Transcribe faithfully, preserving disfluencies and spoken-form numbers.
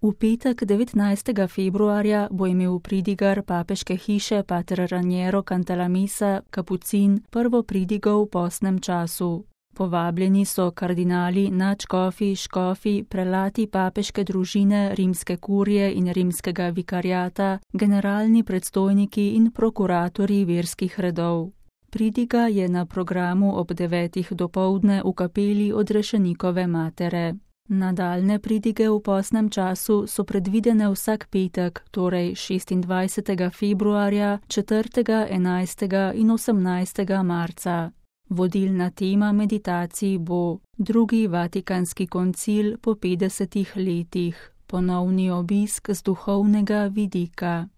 V petek devetnajstega februarja bo imel pridigar papeške hiše pater Raniero Cantalamessa Kapucin prvo pridigo v postnem času. Povabljeni so kardinali, nadškofi, škofi, prelati papeške družine, rimske kurije in rimskega vikariata, generalni predstojniki in prokuratorji verskih redov. Pridiga je na programu ob devetih dopoldne v kapeli Odrešenikove matere. Nadaljne pridige v postnem času so predvidene vsak petek, torej šestindvajsetega februarja, četrtega, enajstega in osemnajstega marca. Vodilna tema meditacij bo drugi Vatikanski koncil po petdesetih letih, ponovni obisk z duhovnega vidika.